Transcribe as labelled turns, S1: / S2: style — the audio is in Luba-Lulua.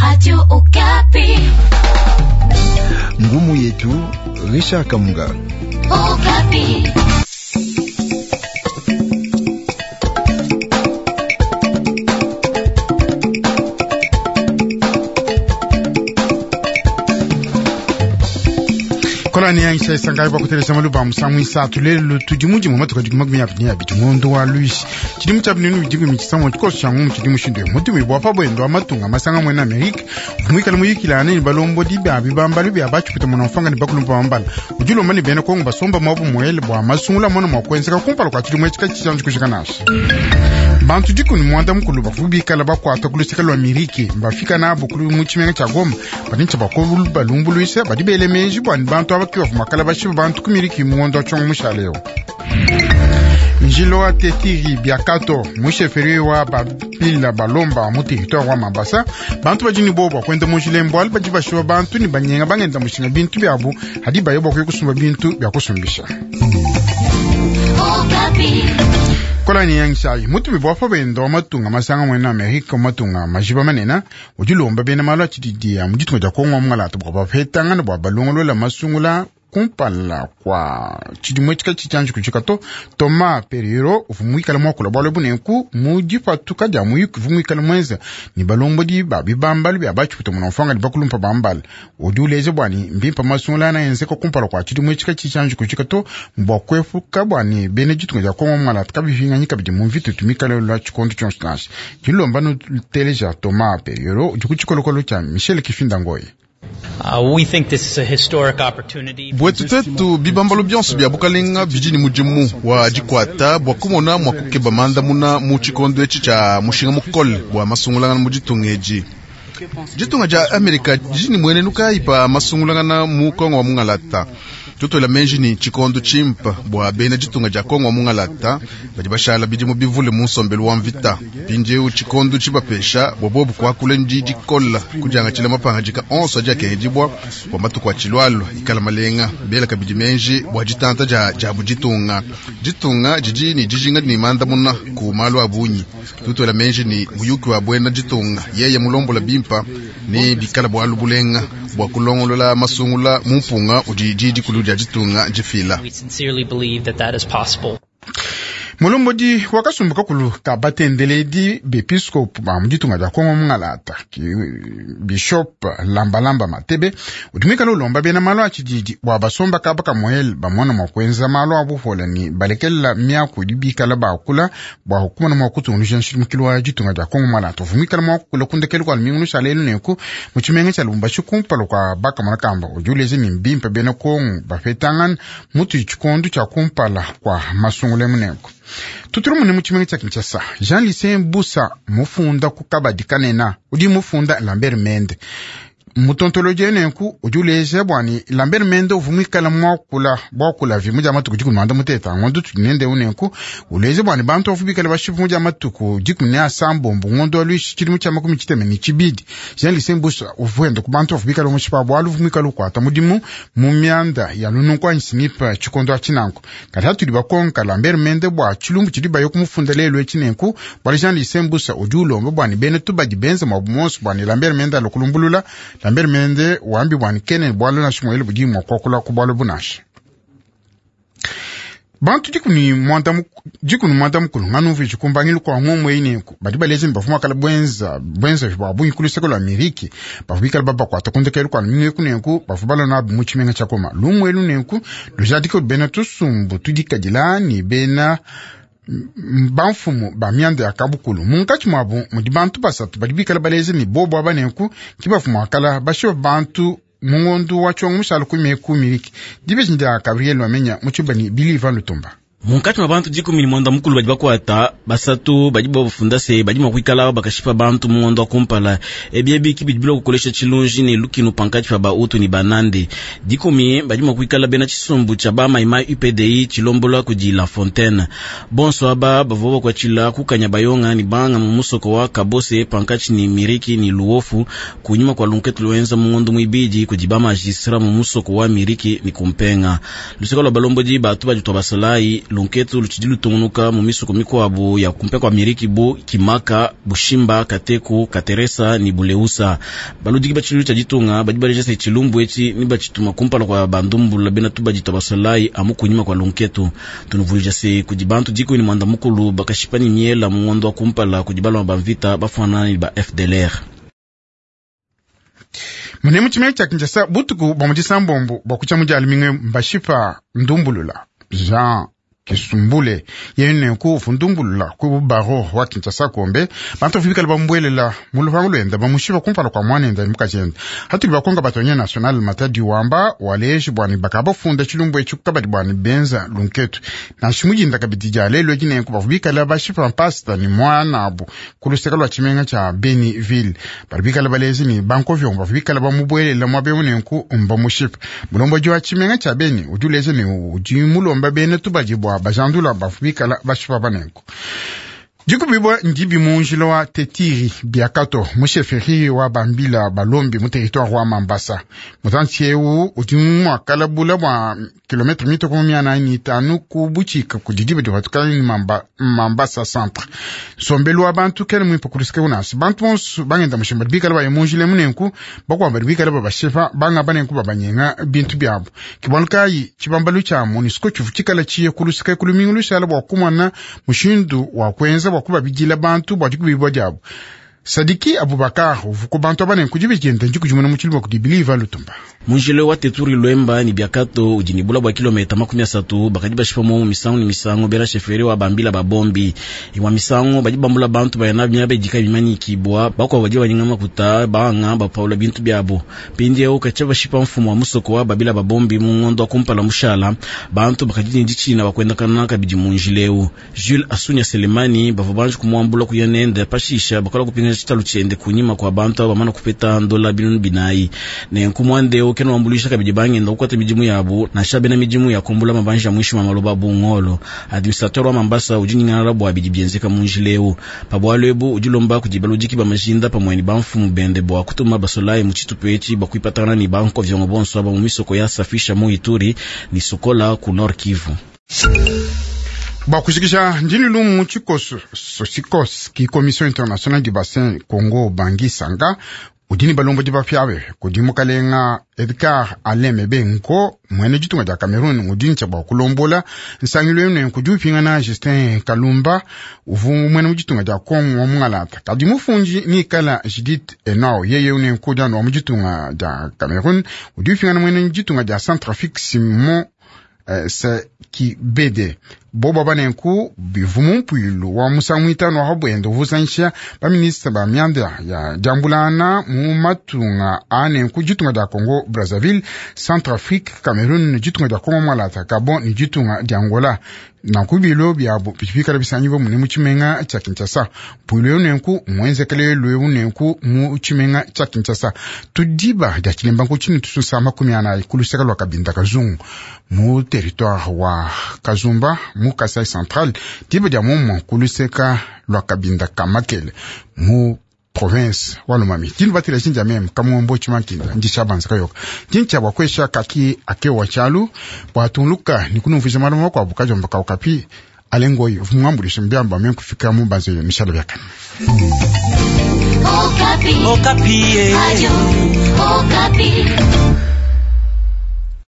S1: Radio Okapi.
S2: Ngumu yetu Richard Kamunga.
S1: Okapi.
S3: Kolani yangisha isangai bakutelesa maluba musangu isatu lelo tudi mudimu matuka dikuma makumi abidi ne abidi ngondo wa luisi tshidimu tshia binunu bidi mikisamua tshikoso tshia ngumu tshidi mushindu eu mutumibu wa pa bwendo wa matunga masanga mwena amerika uvua muyikilane ne balombodi bia bibambalu bia batshipita muna mfanga ne bakulumpa bambala udi ulomba ne bena kongo basomba muabu muele bua masungula mona mua kuenzeka kumpala kua tshidimu etshi katshianji kujika nansha. Bantu dikumi muanda mukulu bavua bikala bakuata ku luseke lua miriki mbafika nabo ku mu tshimenga tshia Goma badi ntshia bakulu balumbuluisha badi bele meji bua ne bantu aba ke bavua makala bashipa bantu ku miriki mu ngondo wa tshiongo mushale eu. Njilo wa Tetiri Biakato musheferi wa bapila balomba mu territoire wa Mambasa bantu badi ne bobo bua kuenda mu njila mbualu badi bashipa bantu ne banyenga bangenda mushinga bintu biabu hadi baye bua kuya kusumba bintu bia kusumbisha.
S1: Okapi.
S3: Kolani yangishayi mutumi bua pa bendo wa matunga masanga mwena Amerika matunga majiba manena udi ulomba bena malu a tshididi ya mu ditunga dia Kongo wa mungalata bua bapetangana bua balongolola masungula kumpala kwa tshidimu etshi katshitshianji kujika to. Thomas Perriello uvua muikale muakula bualu ebu nenku mu dipatuka dia muyuki uvua muikale muenza ne balombodi ba bibambalu bia batshiputa muna mfanga ne bakulumpa bambala udi uleja bua ne mbimpe masungula ana enzeka kumpala kwa tshidimu etshi katshitshianji kujika to bua kuepuka bua ne bena ditunga dia Kongo mungalata kabipinganyi kabidi mu mvita itu mikale lwa tshikondo tshionso nansha. Dilomba nuteleja Thomas Perriello udi ku tshikolokolo tshia Michel Kifinda Ngoyi.
S4: We think this is a historic opportunity.
S5: Bwetu twetu bibambalo bionso bia bukalenga bidi ne mudimu wa dikwata bua kumona mua kukeba mandamuna mu tshikondo etshi tshia mushinga mukole bua masungulangana mu ditunga edi. Ditunga dia Amerika didi ne muenenu kayi pa masungulangana mu Kongo wa mungalata? Tutuela menji ni tshikondo tshimpa bua bena ditunga dia Kongo wa mungalata badi bashala bidimu bivule mu nsombelu wa mvita. Mpindieu tshikondo tshibapesha bua bobu kuakula ndi dikola kudiangatshila mapangadika onso adi akengedibua bua matuku atshilualua ikala malenga bela kabidi menji bua ditanta dia diabu ditunga. Ditunga didi ne dijinga ne mandamuna ku malu a bungi. Tutuela menji ni muyuki wa buena ditunga yeye mulombola bimpa ne bikala bualu bulenga bua kulongolola masungula mu mpunga udi didi dikulu dia ditunga difila.
S4: We sincerely believe that that is possible.
S3: Mulombodi wa kasumbu kakulu ka batendeledi bepiskopu ba mu ditunga dia Kongo mungalata ki Bishop Lambalamba Matebe udi muikale ulomba bena malu a tshididi bua basomba kaba kamuele bamona mua kuenza malu a bupola ne balekelela miaku idi bikala bakula bua kumona mua kutungunuja nshilimukilu wa ditunga dia Kongo mungalata. Uvua muikale mua kukula kundekelu kua lumingu lushala elu nenku mu tshimenga tshia Lubumbashi kumpala kua bakamona kamba udi uleja ne mbimpe bena Kongo bapetangana mutu tshikondo tshia kumpala kua masungula emu nenku. Tutulu mune mu tshimenga tshia Kinshasa, Jean Lucien Busa mufunda ku kabadi kanena udi mufunda Lambert Mende mutontoloji nenku udi uleja bua ne Lambert Mende uvua muikale muakula buakula vi mudia matuku dikumi muanda muteta ngondo tudi nende nenku uleja bua ne bantu bavua bikale bashipa mudia matuku dikumi ne asambombo ngondo wa luishi tshidimu tshia makumi tshitema ne tshibidi. Jean Lucien Busa uvua enda ku bantu bavua bikale mushipa bualu uvua muikale ukuata mudimu mu mianda ya lununku anyi sinipa tshikondo atshi nanku. Kadi hatudi bakonka Lambert Mende bua tshilumbu tshidi baye kumufunda lelu etshi nenku bualu Jean Lucien Busa udi ulomba bua ne bena tubadi benza muabu muonso bua ne Lambert Mende alue kulumbulula. Lambert Mende wambi bua ne kene bualu nansha muele budi mua kuakula ku bualu bunansha. Bantu dikumi muanda mukulu nganu mvi kumbangilu kwa ngomo eyi nenku badi baleja ne bavua makala bwenza bwenza bua bungi ku luseke lua Amerika bavua bikala babakuata kundekelu kua lumingu eku nenku bavua balua nabu mu tshimenga tshia Goma. Lumu elu nenku lujadike bena tusumbu tudikadila ne bena bamfumu ba mianda ya kabukulu munkatshi muabu mudi bantu basatu badi bikala baleja ne bobo aba nenku ki bavua muakala bashipa bantu mu ngondo wa tshiongo mushala ku meku miliki dibeji ndia Gabriel Wamenya mu tshibani Biliva Lutumba.
S6: Munkatshi mwa bantu dikumi ne muanda mukulu badi bakuata basatu badi bafunda se badi mua kuikala bakashipa bantu mu ngondo wa kumpala. Ebi ebi ki bidi bilua kukolesha tshilunji ne lukinu pankatshi pa bautu ne banande. Dikumi badi mua kuikala bena tshisumbu tshia ba maimai UPDI tshilombola kudi La Fontaine. Bonso aba bavua bakuatshila kukanya bayonga ne banga mu musoko wa Kabose pankatshi ne Miriki ne Luofu kunyima kua lunketu luenza mu ngondo muibidi kudi ba magistrat mu musoko wa Miriki ne Kumpenga. Luseke lua balombodi batu badi tua basalayi Lunketu lutshidi lutungunuka mu misoko mikuabu ya kumpe kwa miriki bu Kimaka, Bushimba, Kateku, Kateresa ni Buleusa. Baludiki ba tshilu tshia ditunga badi baleja se tshilumbu etshi ni batshituma kumpala kwa bandumbula bena tubadi twa basolayi amu kunyima kwa lunketu. Tunuvuluija se kudi bantu 19 bakashipa ni miela mu ngondo wa kumpala kudi baloma ba mvita bafana ni ba FDLR.
S3: Munemu tshimenga tshia Kinshasa butuku bwa mu disambombo bwa kutshia mu dia lumingu mbashipa ndumbulula Jean Kisumbule yene ku fundumbulula ku baro wa Kinshasa kombe bantu bikala bambuelela mu lupangu lwenda bamushipa kumpala kwa mwanenda ni mukajenda hatuli bakonga batonye national matadi wamba waleji bwani bakabafunda tshilumbu etshi kukabadi bwani benza lunketu nansha mujinda kabidi dia lelo edi nenku bavua bikala bashipa mpasta ni mwanabu ku luseke lua tshimenga tshia Beniville bali bikala balezi ni bankovyongo bavua bikala bamubuelela muaba eu nenku mbamushipa mulombodi wa tshimenga tshia Beni udi uleja ne udi mulomba bena tubadi bua bajandula bavua bikala bashipa banenku. Dikubibwa ndibi mu njila wa Tetiri Biakato mu chefferie wa Bambila Balombi mu territoire wa Mambasa. Mutantshi eu udi muakalabula bua kilometre mitoko 405 ku butshika kudi diba dipatukana ni Mambasa centre. Nsombelu wa bantu kena muimpe kuluseke unasi. Bantu bonso bangenda mushimba bikala baye mu njila munenku bakuamba bikala babashepa banga banenku babanyenga bintu byabo. Kibwalu kayi tshibambalu tshia MONUSCO tshivu tshikala tshiye kuluseke kulumingu lushala bua kumona mushindu wa kuenza bua kubabidila bantu bua dikubibwa diabo. Sadiki Abubakar uvuko bantu abane kujibijenda njikujimuna mu tshilumbu kudi Biliva Lutumba.
S6: Munjile wa Teturi Lwemba ni Biakato udi ni bula bua kilomita 30 bakadi bashipa mu misango ni misango bela sheferi wa Bambila babombi. Imwa misango badi bambula bantu bayana miaba idika bimanyikibwa bakwa badi banyinga makuta banga bapaula bintu byabo. Pindi kacha bashipa mfumo wa musoko wa Babila babombi mu ngondo wa kumpala mushala bantu bakadi ni ditshina bakwenda kana kabidi munjileu. Jules Asunya Selemani bavua banji kumwambula kuyanende pashisha bakola kupinga tshitalu tshiende kunyima kwa bantu aba bamana kupeta ndola binunu binayi. Nenku mwande kena wambulisha kabidi bangenda kukwata midimu yabo nansha bena midimu ya kumbula mabanja mwishi mwa maloba bungolo. Administrateur wa Mambasa udi nyingana bwa bidi bienzeka mu njileu. Pabwalo ebu udi lomba kudi baludiki ba majinda pamwe ni bamfumu bende bwa kutuma basolayi mu tshitupa etshi bwa kuipatana ni banko vyongo bonso aba mu misoko ya safisha mu Ituri ni Sokola ku Nord Kivu.
S3: Bwa kushikisha ndini lumu tshikoso sosikos ki Commission Internationale du Bassin Congo Bangui Sanga udini balombodi bapyabe kudi mukalenga Edgar Alain Mebe Nko mwene ditunga dia Cameroon udini tshia bua kulombola nsangilu enu nenku udi upingana Justin Kalumba uvu mwene mu ditunga dia Congo wa mungalata kadi mufundi nikala Judith Enao yeye nenku dianu wa mu ditunga dia Cameroon udi upingana mwene ditunga dia Centrafrique Simon Sekibede bobo banenku bivumu mpuilu wa musangu itanu wa bwende uvusanisha baminista ba mianda ya diambulana mu matunga anenku ditunga dia Congo Brazzaville, Centrafrique, Cameroon, ditunga dia Congo Mwalata, Gabon ni ditunga dia Angola. Nanku bilo byabo bikala bisanyibo mune mu tshimenga tshia Kinshasa. Mpuilu eu nenku mwenzekele lweu nenku mu tshimenga tshia Kinshasa. Tudiba dia tshilemba nku tshinu tususa 40 ku luseka lwa Kabinda Kazungu mu territoire wa Kazumba mu Kasai Central, diba dia momo ku luseka lwa Kabinda Kamakele mu province wa Lomami. Dinu batila jinja meme kamombo chimankinda ndisha banza kayoka. Jincha bwa kwesha kaki akewa chalu bwa tunluka ni kunumvisha maloma kwa bukajomba kaukapi alengoyi vumwambulisha mbyamba meme kufika mu banzo yo mishala byakana.
S1: Okapi.
S7: Okapi.
S1: Radio Okapi.